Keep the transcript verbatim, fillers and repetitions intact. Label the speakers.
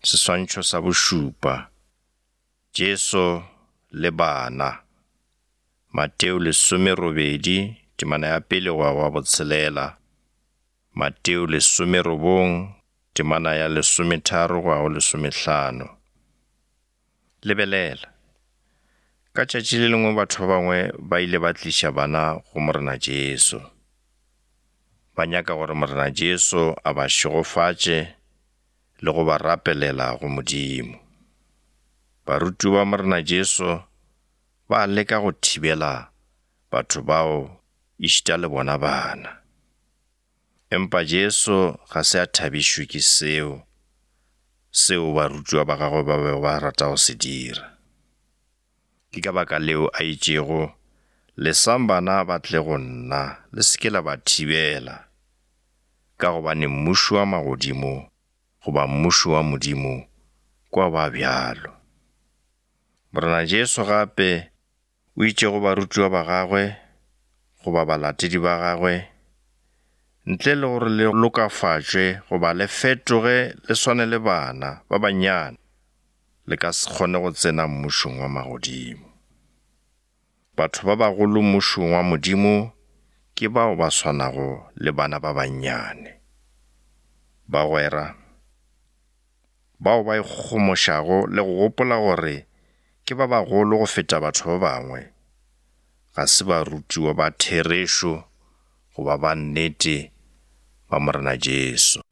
Speaker 1: Seswantšho sa bošupa. Jesu le bana. Mateo lesome robedi, temana ya pele go wa botshelela. Mateo lesome robong, temana ya lesome tharo go wa lesome hlano. Lebelela. Ka tšatši le lengwe batho ba bangwe ba ile ba tliša bana go morena Jesu. Ba nyaka gore morena Jesu a ba šegofatše le go ba rapelela go Modimo. Baruti ba morena Jesu ba leka go thibela batho bao ešita le bona bana. Empa Jesu ga se a thabišwe ke seo, seo baruti ba gagwe ba be ba rata go se dira. Ke ka baka leo a itšego, lesang bana ba tle go nna, le seke la ba thibela, ka gobane mmušo wa magodimo goba mmušo wa Modimo kwa ba bjalo. Morena Jesu gape o itšego barutiwa ba gagwe goba balatedi ba gagwe, ntle le gore le lokafatšwe goba le fetoge le swane le bana ba banyane, le ka se kgone go tsena mmušong wa magodimo. Batho ba bagolo mmušong wa Modimo ke bao ba swanago le bana ba banyane. Bagwera, bao ba ikgomošago le go gopola gore ke ba bagolo go feta batho ba bangwe, ga se barutiwa ba therešo goba ba nnete ba morena Jesu.